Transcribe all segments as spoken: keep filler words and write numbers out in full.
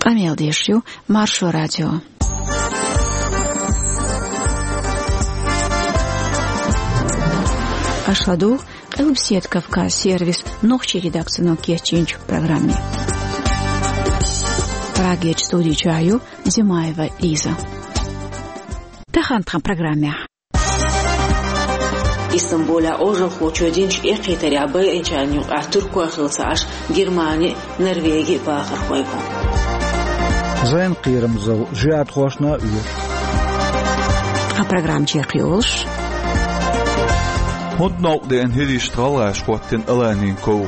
Къамел деш ю Маршо радио. Аша ладугӀу Къилбседа Кавказ сервисан нохчийн редакцино кечйинчу программе. Прагерчу студи чохь ю Зимаева Лиза. Тахана тхан программехь. Истамбулехь Ӏожалхочо динчу эккхийтарехь байинчарна юкъахь туркой хилла ца Ӏаш, Германи а, Норвеги а бахархой бу. Зайн кхерамзалла жихӀадхошна а оьшу. Тхан программа чекхйолуш: хӀунда новкъа деана хӀиришна гӀалгӀаша хӀоттийна Аланин ков?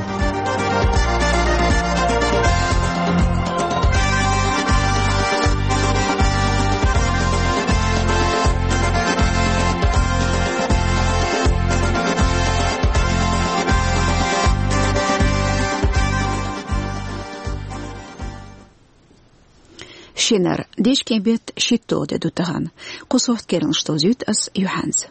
Шинара, дечкен беттан шийтта де ду тахана. Кху сохьта керланаш довзуьйту ас юьхьанца.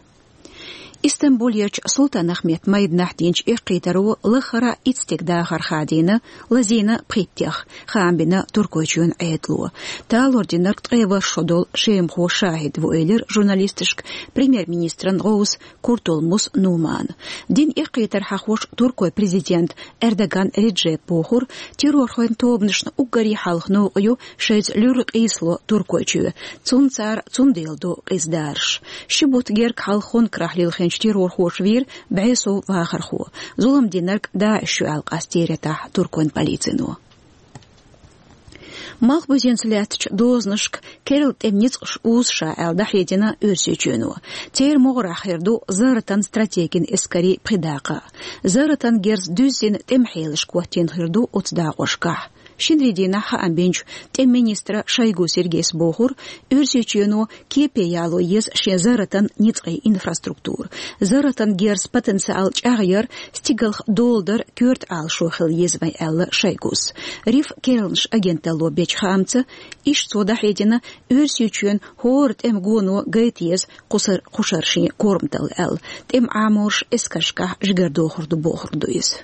Истамбулерчу Султан-Ахмед майданахь динчу эккхийтаро лаххара итт стеган дахар хадийна, лазийна пхийттех, хаам бина Туркойчоьнан Ӏедало. Талор динарг ткъе ворхӀ шо долу шемахо шахӀид ву, элира журналисташка премьер-министран гӀовс Куртулмус Нумана. Дина эккхийтар хьахош туркойн президента Эрдоган Реджепа бохура, террорхойн тобанашна уггаре хьалха новкъа ю шайца луьра къийсало Туркойчоь. Цунна цара цундела до къиза дараш. Ши бутт герга хьалха Хонкарахь лилхинчу террорхоша вийра бӀе сов вахархо. Зулам динарг ДАИШ ю аьлла къастийра тӀаьхьа туркойн полицино. Малхбузенца лаьттачу дозанашка керла тӀеман ницкъаш узу ша аьлла дӀахьедина Оьрсийчоьно. Церан могӀарехь хир ду зарратан стратегин эскарийн пхи дакъа. Зарратан герз дуьззина тӀеман хьелашка хӀоттийна хир ду оцу дакъошкахь. Шинарин дийнахь хаам бинчу тӀеман министра Шойгу Сергейс бохура, Оьрсийчоьно кепе яло еза шен зарратан ницкъийн инфраструктура. Зарратан герз потенциал чӀагӀъяр стигалх доладар коьрта Ӏалашо хила еза вайн, аьлла Шойгус. РИФ керланаш агенталло бечу хаамца, иштта цо дӀахьедина, Оьрсийчоьнан хӀора тӀеман гоно гайта еза кхушар-, кхушара шен корматалла аьлла. ТӀеман Ӏаморш эскаршкахь жигара дохур ду бохург ду иза.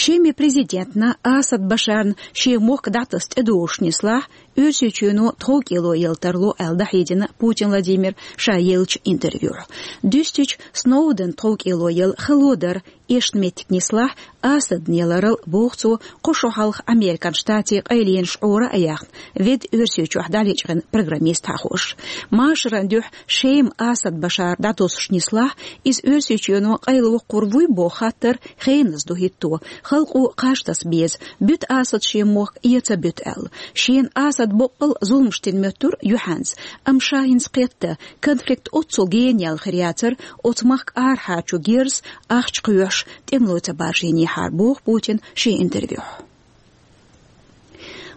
Шеман президентна Асад Башарна шен мохк дӀатаса тӀедогӀуш нислахь, Оьрсийчоьно тховкӀело яла тарло аьлла дӀахьедина Путин Владимира ша еллачу интервьюхь. Дуьстича, Сноуденна тховкӀело яла хало дара эшна меттиг нислахь, Асадна яларал, боху цо, кхо шо хьалха Американ Штатийн къайленаш Ӏора а яьхна, ведда Оьрсийчохь дӀалечкъина программист хьахош. Машаран дуьхьа Шема Асад Башар дӀатосуш нислахь, иза Оьрсийчоьно къайлавоккхур вуй боху хаттар хеназа ду хӀитто, халкъо кхаж таса беза, буьту Асад шен мохк я ца буьту аьлла. Шена Асад боккъал зуламаш дина моьттура юьхьанца, амма ша хӀинца кхетта, конфликт оццул гена яьлла хир яцара, оцу махка арахьарчу герзаца ахча кхоьхьуш, тӀемало ца баржийнехьара, боху Путина шен интервьюхь.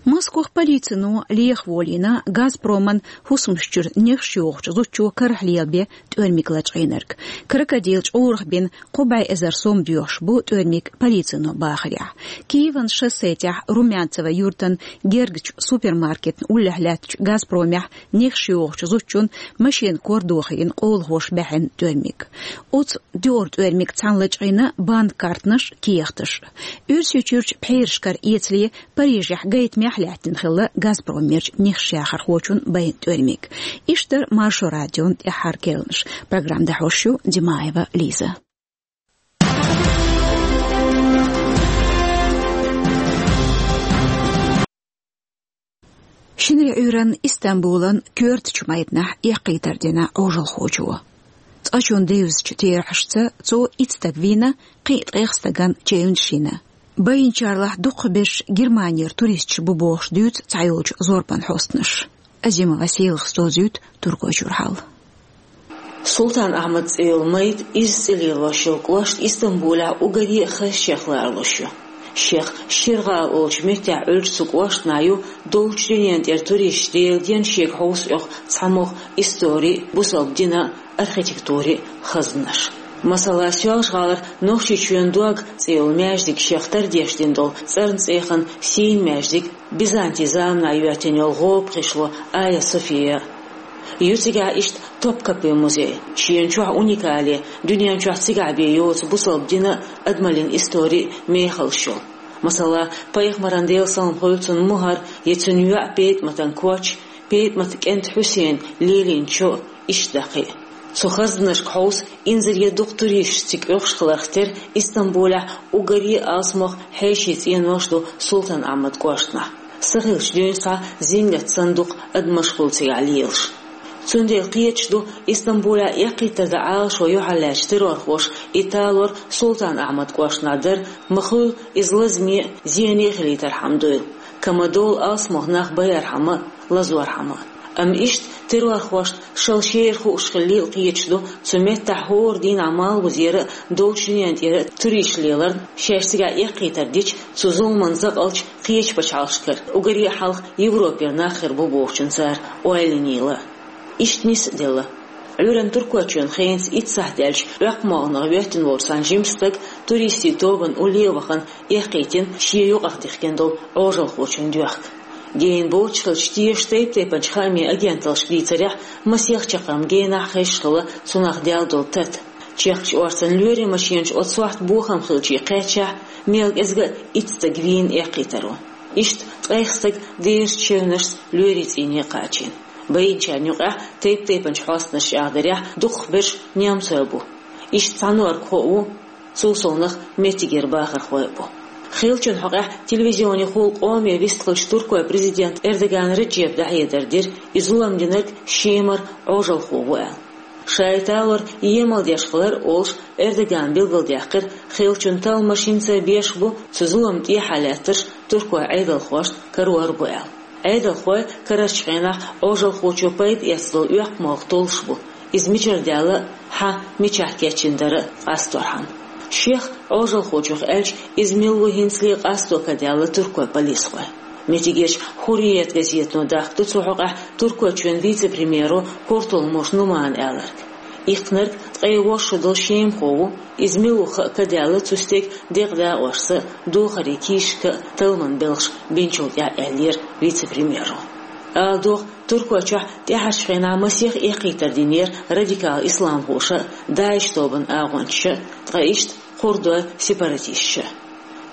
Москвахь полицино леха волийна Газпроман хӀусамаш чуьра нехаш йохучу зудчо карахь лелабен тӀоьрмиг лачкъийнарг. Крокодил чкъурах бина кхо бӀе эзар сом доьхуш бу тӀоьрмиг полицино бахарехь. Киеван шоссе тӀехь Румянцево юьртан гергарчу супермаркетна уллехь лаьттачу Газпромехь нехаш йохучу зудчун машенан кор дохийна къолахоша баьхьина тӀоьрмиг. Оцу дуьххьара тӀоьрмиг цхьаьна лачкъийна банк картанаш, кехаташ. Оьрсийчуьрчу пхьерашкара эцале Парижехь гайтамехь лаьттина хилла Газпромерчу нехаш яхархочун байна тӀоьрмиг. Иштта дара Маршо радион тӀаьххьара керланаш. Программа дӀахьош ю Димаева Лиза. Шинарин Ӏуьйранна Истамбулан коьртачу майданахь эккхийтар дина Ӏожалхочо. Цкъачунна девзачу терахьашца цо итт стаг вийна, кхин а ткъех стагана челлендж йина. Байинчарлахь дукхахберш Германера туристаш бу бохуш дуьйцу цхьайолчу зорбан хьостанаша. Азимова Селахас довзуьйту Туркойчуьра хьал. Султан-Ахьмад цӀе йолу майда изза цӀе лелош йолу кӀошт Истамбулехь уггаре а хаза шех ларалуш ю. Шех Ширгала олучу меттехь Ӏуьллучу цу кӀоштана ю доллучу дуьненан тӀера туристаш Делан денна шега хьовса оьху цхьамогӀа истори, бусалба дина, архитектури хазнаш. Масала, Соьлжа-ГӀалара Нохчийчоьнан дог цӀе йолу маьждиг шех тардеш дина долу цӀарна цӀеяхана сийна маьждиг, Бизантин заманахь йоьттина йолу гӀоба гӀишло Айя София. Ю цигахь иштта Топкапи музей. Шена чохь уникале, дуьнен чохь цигахь бен йоцу бусалба дина а, адамаллин истори а мехаллаш йолу. Масала, пайхамаран, Делан салам хуьлда цунна, мухӀар я цуьнан йоӀ ПетӀаматан коч, ПетӀаматан кӀант Хьусейна лелийна чо, иштта дӀа кхин а. Цу хазданашка хьовса, инзаре дукха туристаш цига оьхуш хиларх тера Истамбулехь уггаре а алсамох хьеший цӀенош ду Султан-Ахьмад кӀоштахь. Са хилча дуьйна схьа зингат санна дукха адам машгӀул цигахь лелаш. Цундела кхеташ ду, Истамбулехь эккхийтар дан Ӏалашо юьхьарлаьцначу террорхоша и талор Султан-Ахьмад кӀоштахь дар, ма-хуьллу иза лазаме а, зене а хилийтархьама дуйла, ка ма-довла алсамох нах байархьама а, лазорхьама а. Амма иштта террорхошна шала шера хууш хиллийла кхеташ ду, цу меттехь хӀора дийнахь Малхбузера а, Долчу дуьнен тӀера а туристаш леларна, шаьш цигахь эккхийтар дича, цу зуламан закъалча кхечу пачхьалкхашкара уггаре а хьалха Европера нах хир бу бохучун цара ойла йинийла. Иштта нис а делла. Ӏуьйранна Туркойчоьнан хенца итт сахьт даьлча, Оьккхамолханах воьттина волчу цхьана жимачу стага туристийн тобанан улле а вахана эккхийтина шен юкъах дихкина долу Ӏожалхочун доьхка. Гена боцуш хилча, тешачу тайп-тайпанчу хаамийн агенталлаш дийцарехь, масех чаккхарма генахь хезаш хилла цунах даьлла долу тата. Чехкачу орцанна лоьрийн машенаш оцу сохьта бохам хилча кхаьччахь, мел кӀезга а итт стаг вийна эккхийтаро. Иштта ткъех стаг дезачу чевнашца лоьрийн цӀийне кхачийна. Байинчарна юкъахь, тайп-тайпанчу хьостанаша чӀагӀдарехь, дукхахберш немцой бу. Иштта цхьа норгхо а ву, цул совнаха меттигера бахархой а бу. Хиллачун хьокъехь телевизионехула къоме вистхиллачу Туркойн президента Эрдоган Реджепа дӀахьедар дира, и зулам динарг Шемара Ӏожалхо ву аьлла. Ша и талор емал деш хилар а олуш, Эрдогана билгалдаьккхира, хиллачун талламаш хӀинца а беш бу, цу зуламна тӀехьа лаьттарш туркойн Ӏедалхошна карор бу аьлла. Ӏедалхой карарчу хенахь Ӏожалхочо пайда эцна долу оьккхамолха толлуш бу, иза мичара даьлла а, хьан мичахь кечйина дара а къасторхьама. Шех, Ӏожалхочух аьлча, иза мила ву хӀинцале къасто ка даьлла туркойн полисхойн. Меттигерчу «Хурриет» газетано дахка ду цу хьокъехь Туркойчоьнан вице-премьеро Куртулмуш Нумана аьлларг. Иккхинарг ткъе ворхӀ шо долу шемахо ву, иза мила ву хаа ка даьлла цу стеган декъа дакъошца а, духарийн кийсашка а талламан белхаш бинчул тӀаьхьа, аьллера вице-премьеро. Ала догӀу, Туркойчохь тӀаьхьарчу хенахь масех эккхийтар динера радикал исламхоша а, ДАИШ тобанан агӀончаша а, ткъа иштта курдойн сепаратисташа а.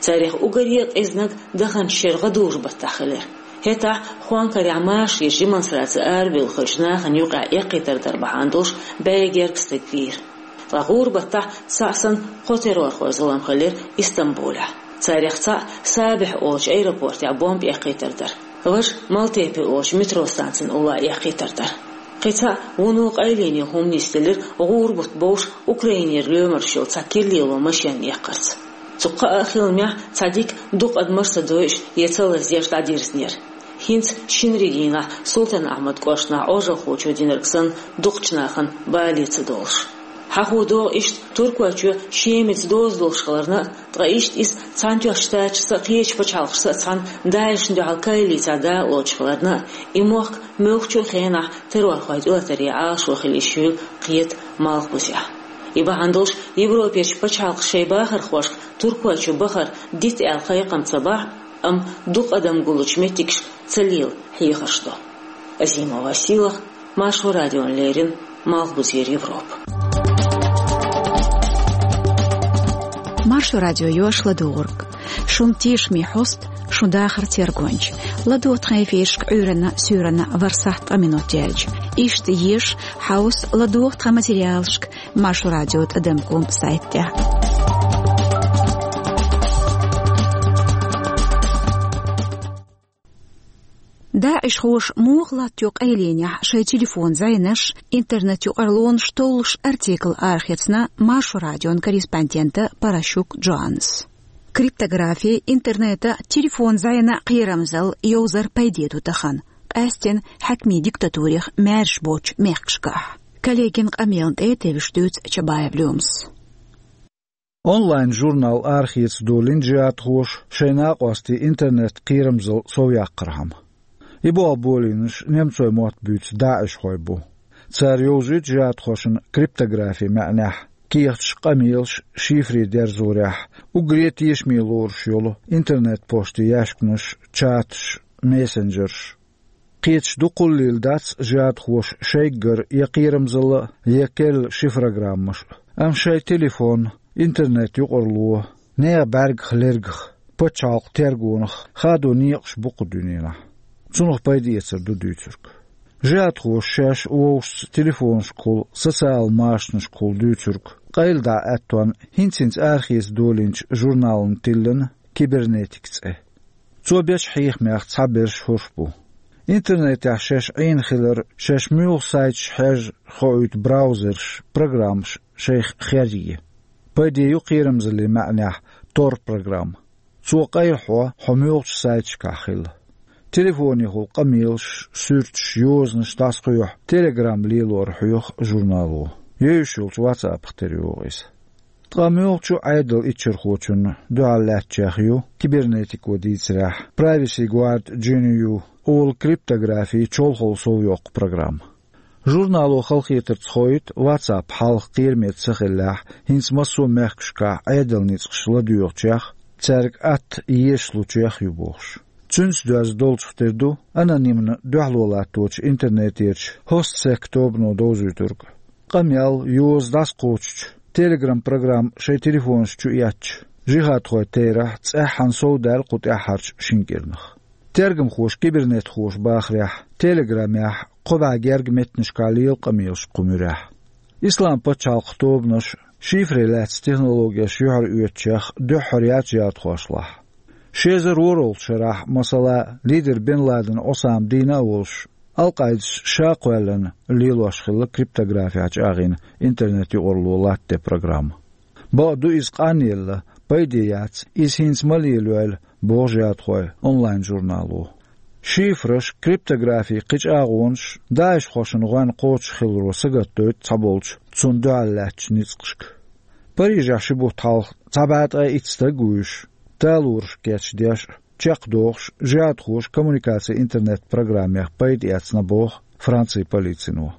Царах уггаре а къизаниг даханчу шеран гӀадужу-баттахь хилира. ХӀетахь Хонкарехь машарийн демонстраци арабевлла хиллачу нахана юкъахь эккхийтар дар бахьана долуш бӀе гергга стаг вийра. Ткъа гӀуран-баттахь цхьаъ санна кхо террорхойн зулам хилира Истамбулехь. Царах цхьаъ Сабихь олучу аэропортехь бомба эккхийтар дара. Важа Малтепе олучу метро станцин уллохь эккхийтар дара. Кхин цхьаъ вуно къайле хӀума нисделира гӀуран-бутт бовш Украинера лоьмарш йолу цхьа киралело машен эккхарца. Цу кхаа хиламехь цхьа дика дукха адамаш а ца дойуш я ца лазош дӀадирзинера. ХӀинца шинарин дийнахь Султан-Ахьмад кӀоштахь Ӏожалхочо динарг санна дукхачу нахана бале ца долуш. Хьахо догӀу иштта Туркойчоь Шемаца доза долуш хиларна а, ткъа иштта иза Цхьаьнатоьхначу Штаташца а, кхечу пачхьалкхашца а цхьаьна ДАИШ-на дуьхьал коалицехь дакъа лоцуш хиларна а, и мохк муьлххачу а хенахь террорхойн тӀелатаре Ӏалашо хила йиш юйла кхета Малхбузехь. И бахьана долуш Европерчу пачхьалкхаша шайн бахархошка Туркойчу бахар дита аьлла кхайкхам ца бахь а, амма дукха адам гуллучу меттигашка ца лела хьехарш до. Азимова Сийлаха, Маршо радиона леррина, Малхбузера Европа. Маршо радио йош ладугӀург. Шун тешаме хьост, шун дахар тергонча. ЛадогӀа тхан эфирашка Ӏуьйранна, суьйранна ворхӀ сахьт ткъа минот яьлча. Иштта еша, хьовса, ладогӀа тхан материалашка Маршо радио тӀадам ком сайт тӀехь. ДАИШхоша муха латтайо къайленехь шайн телефон зӀенаш, интернет-юкъарлонаш толлуш артикл арахецна Маршо радион корреспондента Паращук Джоаннас. Криптографи, интернета, телефон зӀенан кхерамзалла йовзар пайде ду тахана, къаьсттина хьаькамийн диктатурех маьрша боцучу мехкашкахь. Коллегин къамелан тӀе тевжаш дуьйцу Чабаев Лемас. Онлайн-журнал арахеца долийна джихӀадхоша шайн накъостийн интернет-кхерамзалла совъяккхархьама. И болх болийнарш немцойн мотт буьйцу даишхой бу. Цара йовзуьйту джихӀадхошна криптографин маьӀнехь кехаташ, къамелаш шифре дерзорехь, уггаре а тешаме лоруш йолу интернет-почтан яьшканаш, чаташ, мессенджерш. Кхеташ дукхаллийла дац джихӀадхоша шайггара я кхерамзалла а, я керла шифрограммаш а. Амма шайн телефон, интернет-юкъарло, нехан бӀаьргах, лергах пачхьалкхан тергонах хадо некъаш бу кху дуьненахь. Цунах пайда эцар ду дуьйцург. Жихадхоша шаьш вовшашца телефонашкахула, социал машанашкахула дуьйцург къайладӀа аьттонна хӀинца-хӀинца арахеца долийначу журнална тиллина «Кибернетика» цӀе. Цо бечу хьехамех цхьаберш хӀорш бу. Интернетехь шаьш Ӏийна хилар, шаьш муьлха сайташ хьежжа хоуьйту браузерш, программаш шайх херъе. Пайде ю кхерамзаллин маьӀнехь Tor программа. Цо къайлахьо хьо муьлхачу сайташкахь хила. Телефонехула къамелаш, суьрташ, йозанаш дӀасакхоьхьу Telegram лелорна хьоьху журнало. Евзаш йолчу WhatsApp-ах тера йогӀу иза. Ткъа муьлххачу Ӏедалан иччархочунна дуьхьал лаьттачех ю, кибернетико дийцарехь, Privacy Guard G N U олу криптографин чолхолла совйоккху программа. Журнало халахетарца хоуьйту WhatsApp хьалха кхераме ца хиллехь, хӀинца массо а мехкашкахь Ӏедалан ницкъаш ладоьгӀучех, цаьрга атта езаш лучех ю бохуш. Цуьнца доьзна долчух тера ду анонимна дуьхьало латточу интернетерчу HostSec тобано довзуьйтург. Къамел, йоза дӀасакхочучу Telegram программа шайн телефонаш чу эцча, жихадхойн терахь цӀеххьана совдаьлла кху тӀаьххьарчу шина кӀирнах. Тергамхоша, кибернетхоша бахарехь, Telegram-ехь кхо бӀе гергга меттанашкахь лела къамелаш кху муьрехь. Ислам пачхьалкхан тобанаш шифре лаьцна технологеш юьхьароьцучех дуьххьара яц жихадхошлахь. Ши эзар ворхӀалгӀачу шарахь, масала, лидер Бен Ладен Осама дийна а волуш, Ал-Къаидас ша кхоьллина лелош хилла криптографехь чӀагӀйина интернет-юкъарло латтаде программа. Бакъду, иза къанъелла, пайде яц, иза хӀинца ма лелайойла, боху жихадхойн онлайн-журнало. Шифраш, криптографи, кхин чӀагӀонаш ДАИШхошна гӀоьнна кхочуш хиларо сагатдойту цхьаболчу цунна дуьхьал лаьттачу ницкъашка. Парижехь ши бутт хьалха цхьа бӀе ткъе итт стаг вуьйш, талораш кечдеш, чекхдохуш, жихадхоша коммуникацин интернет-программех пайда эцна боху Францин полицино.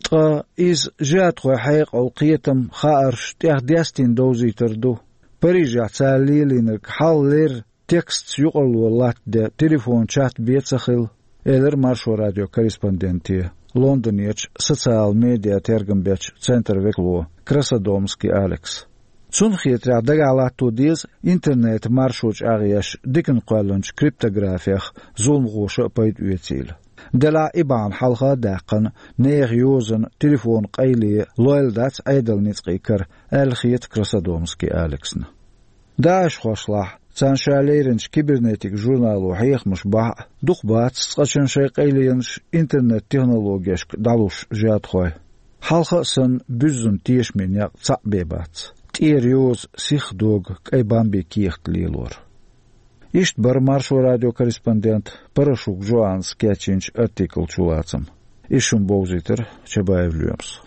Ткъа иза жихадхойн хьекъал, кхетам, хаарш тӀех дестийна довзийтар ду. Парижехь цара лелийнарг хьалхалера текстца юкъарло латтаде телефон-чат бен ца хилла, элира Маршо радион корреспонденте Лондонерчу социал медиа тергам бечу центран векало Красодомский Алекса. Цунна хетарехь, дагахь латто деза интернетан маршо чӀагӀъеш диканна кхоьллинчу криптографех зуламхоша а пайда оьцийла. Делахь и бахьана хьалха а даьккхина, нехан йозанна, телефонан къайле лойла дац Ӏедалан ницкъийн кара, аьлла хета Красодомский Алексна. ДАИШхошлахь, царна ша леринчу кибернетика журнало хьехамаш бахь а, дукха бац цкъачунна шайн къайленаш интернет-технологешка дӀалуш жихадхой. Хьалха а санна, буьззина тешаме некъ цхьаъ бен бац. ТӀера йоза, сихха догу кӀайн бамбин кехат лелор. Иштта бара Маршо радион корреспондента Парашук Жоаннас кечйинчу артиклан чулацам. Иза шуна бовзийтира Чабаев Лоьмас.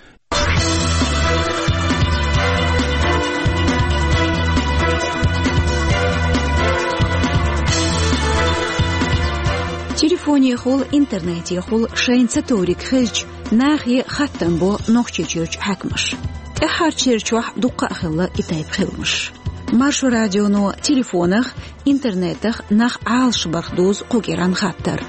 Телефонехула, интернетехула шайна ца товриг хезча, нахе хаттам бо Нохчийчуьрчу хьаькамаша. ТӀаьххьарчу шерачохь дуккха а хилла и тайпа хиламаш. Маршо радионо телефонах, интернетах нах Ӏалашбарх дузу кху кӀиранна хаттар.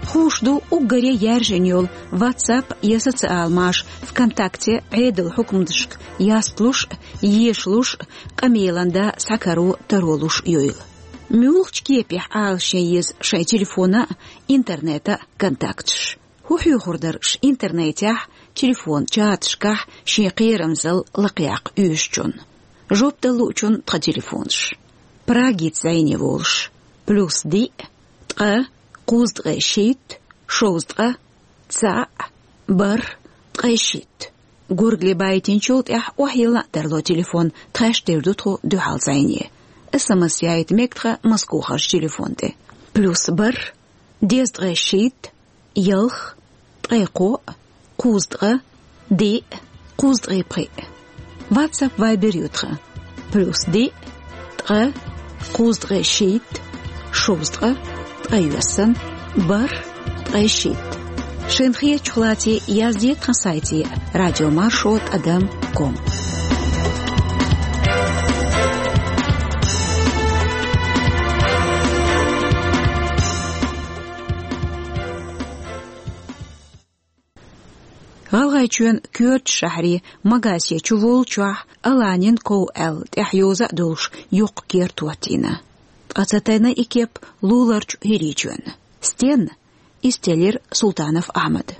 Хууш ду, уггаре яьржина йолу WhatsApp я социал маша ВКонтакте Ӏедалан хьукматашка ястлуш а, ешалуш а, къамелан да схьакаро, таро луш а йойла. Муьлхачу кепехь Ӏалашъян еза шайн телефона а, интернета а контакташ? ХӀун хьоьхур дара аш интернетехь, телефон-чаташкахь шен кхерамзалла лакхаяккха оьшучунна? Жоп дала луучунна тхан телефонаш. Прагица зӀене волуш: плюс диъ, ткъа, кхузткъе шийтта, шовзткъа, цхьаъ, бархӀ, ткъе шийтта. Горгали байтинчул тӀаьхьа охьайилла а тарло телефон, тхаьш тера ду тхо дуьхьал зӀене. СМС яйта мега тхан Москохарчу телефон тӀе. Плюс бархӀ, дезткъе шийтта, ялх, ткъе кхоъ, кхузткъа, диъ, кхузткъе пхиъ. WhatsApp, Viber ю тхан. Плюс диъ, ткъа, кхузткъе шийтта, шовзткъа, ткъе йоьссан, бархӀ, ткъе шийтта. Шайна хетачух лаций, язде тхан сайте радиомаршо тӀадам ком. ГӀалгӀайчоьнан коьртачу шахьарийн Магасе чу воллучохь Аланин ков аьлла тӀехь йоза а долуш йоккха керта хӀоттийна. Ткъа ца тайна и кеп луларчу хӀирийчоьнна. Стенна? Из теллира Султанов Ахьмада.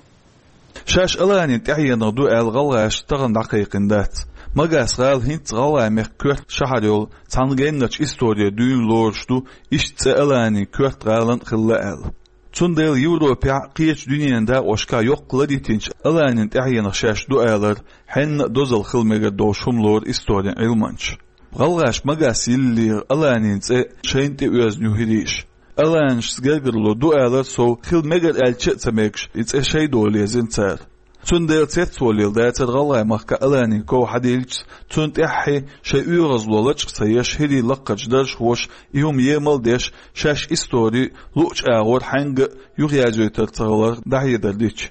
Шаьш Аланин тӀаьхьенах ду аьлла гӀалгӀаша тахана дӀакхайкхийна дац. Магас-гӀала хӀинца гӀалгӀай мехка коьрта шахьар йолу цхьана генначу историн дуьйна лоруш ду, иштта цӀе Аланин коьрта гӀалин а хилла аьлла. Цундела Европехь а, кхечу дуьненан дакъошкахь а йоккха лар йитинчу Аланин тӀаьхьенах шаьш ду алар хьенна а дозалла хила мегар долуш хӀума лору историн Ӏилманчаша. ГӀалгӀаша Магас йиллера Аланин цӀе шайна тӀе оьзна ю хӀирийша. Аланашца гергарло ду алар сов хила мегар аьлча а ца мегаш, и цӀе шайн дола езна цара. Цундела цецволийла дацара гӀалгӀай махкахь Аланин ков хьадиллича, цунна тӀаьххье шайн оьгӀазло лачкъа ца еш, хӀирийн лакхарчу даржхоша и хӀума емал а деш, шаьш истори луъучу агӀор хьаьнга а юхаязйойтур ца хилар дӀахьедар дича.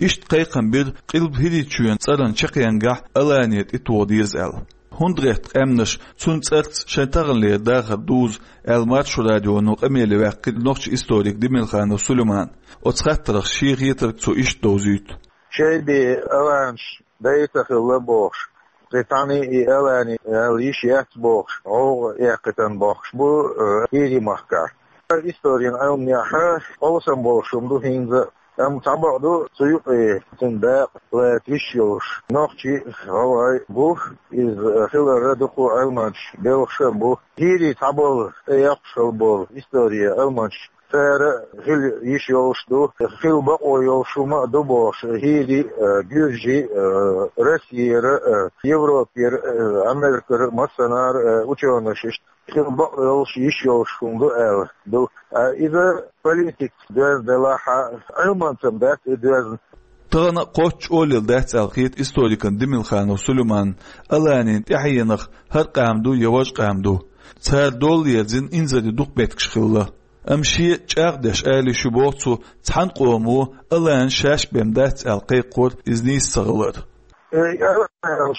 Иштта кхайкхам бира Къилба ХӀирийчоьнан цӀаран чаккхенгахь Алани тӀе тоха деза аьлла. ХӀунда гӀерта къаьмнаша цуьнан цӀарца шайн таханлера дахар дузу аьлла, Маршо радионо къамеле ваьккхира нохчийн историк Демирханов Сулейман. Оцу хаттарах шен хетарг цо иштта довзуьйту. Шайн бен аланаш дай ца хилла бохуш, кхин цхьаьна и Алани аьлла йиш яц бохуш, гӀовгӀа эккхийтина бохуш бу, э, ХӀирийн махкахь. Историн Ӏилманехь къовсам болуш хӀума ду хӀинца а. Амма цхьа бакъ ду, цу юкъе цуьнан дакъа лата йиш йолуш нохчий а, гӀалгӀай а бу, иза хиларна дукха Ӏилманчаш белхаш а бу. ХӀирий цхьаболу тӀеэккхаш хилла болу историн Ӏилманчаш, цара а хила йиш йолуш ду, хила бакъо йолуш хӀума а ду бохуш, хӀирий а, гуьржий а, Россера а, Европера а, Америкера а, массанхьара а учёныш иштта хила бакъ йолуш, йиш йолуш хӀума ду аьлла ду. А иза политикаца доьзна делахь а, Ӏилманца-м дац и доьзна. Тахана а кхоччуш олийла дац аьлла хета историкна Демирханов Сулейманна Аланин тӀаьхьенах хӀара къам ду я важа къам ду. Цара дола ерзийна инзаре дукха меттигаш хилла. Амма шен чӀагӀдеш ала йиш ю боху цо, цхьана къомо Алани шаьш бен дац аьлла кхайкхор иза нийса ца хилар. Э,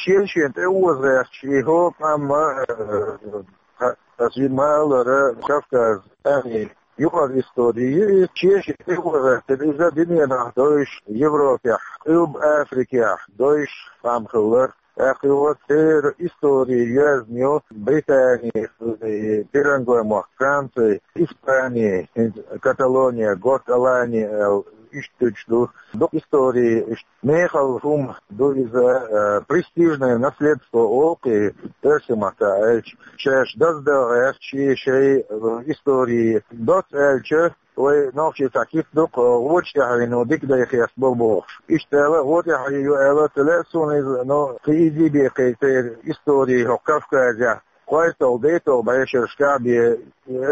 шен-шен тӀе оза гӀерташ, и хӀокху къам а, э, аса ма-аллара, Кавказ, Ани, юкъара истори ю иза, шен-шен тӀе оза гӀертар иза, дуьненахь довш, Европехь, Къилба Африкехь довш къам хилла. ТӀаккха юха церан истори йоьзна ю Британи, Пиранговой мохк, Франци, Испани, хӀинца Каталония, Горт Алани аьлла, иштта ду. Дукха истори, иштта мехала хӀума ду иза, э, престижное наследство олу-кх и оьрсийн маттахь аьлча. Шаьш даздала гӀерташ шайн, э, истори доцца аьлча, вай нохчий цхьа кип ду-кх, э, гӀоча тӀаьхьено дика дай хестабо бохуш. Иштта аьлла, гӀо тӀаьхье ю аьлла ца лаьа суна иза, но кхин иза бен кхин церан истори хӀокху Кавказехь кхойтталгӀа, дейтталгӀа бӀешерашкахь бен,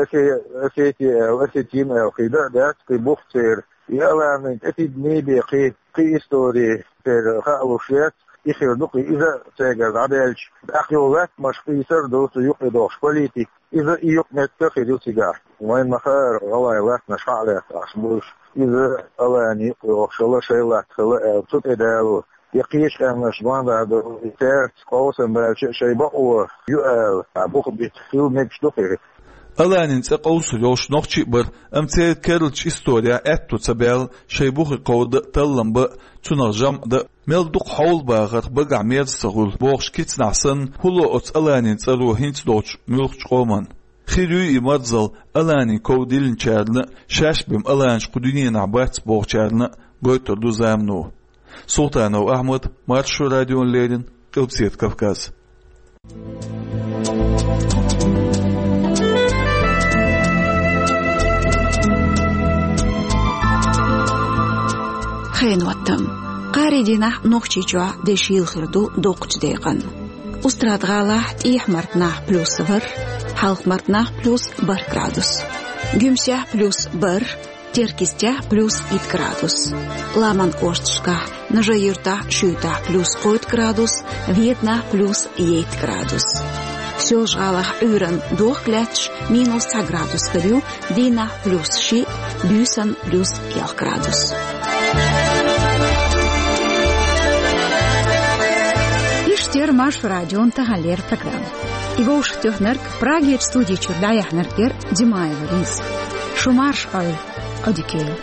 Осе-, Осети аьлла, Осетин аьлла, кхин дан а дац, кхин бух церан. И Аланин тӀетидаме бен кхин, кхин истори церан хаа луш яц, и хир ду-кх иза цигара дӀадаьлча. ТӀаккха юха латтанаш къийсар ду цу юкъе дохуш политика. Иза и юкъаметтиг хир ю цигахь. Вайна ма-хаъара, гӀалгӀай латтанаш хьа а лаьцна Ӏаш бу уьш. Иза Алани юкъе йохуш хилла, шайн латта хилла аьлла, цу тӀе далор. Я кхечу къаьмнаш ма-дарра ду, цаьрца къовсам баьлча а шайн бакъо ю ала, а, бух бита хила мегаш ду-кх и. Аланин цӀе къовсур йолуш нохчий а бара, амма церан керлачу исторехь аьтто ца баьлла шайн бухе кховда а, таллам бан а, цунах жамӀ дан а. Мел дукха хьовла бахарх багахь мерза ца хуьлу бохуш кицанахь санна, хӀун ло оцу Аланин цӀаро хӀинца долчу муьлххачу къоман? Хир юй и марзалла Аланин ков диллинчарна а, шаьш бен Аланаш кху дуьненахь бац бохучарна а, гойтур ду замано. Султанов Ахьмад, Маршо радиона леррина, Къилбаседа Кавказ. Хенан хӀоттам. Кхаарин дийнахь Нохчийчохь де шийла хир ду доккхачу декъан. Устрада-ГӀалахь тӀехьа-мархнахь плюс ворхӀ, хьалха-мархнахь плюс бархӀ градус. Гуьмсехь плюс бархӀ, Теркйистехь плюс итт градус. Ламан кӀошташкахь: Нажи-Юьртахь, Шуьйтахь плюс кхойтта градус, Веданахь плюс ейтта градус. Соьлжа-ГӀалахь Ӏуьйранна дохка лаьтташ минус цхьа градус хир ю, дийнахь плюс шиъ, буьйсанна плюс ялх градус. Иштта яра Маршо радион таханлера программа. И вовшахтоьхнарг, Прагерчу студи чуьра дӀаяьхьнарг яра Димаева Лиза. Шу марша Ӏойла, Ӏодика йойла.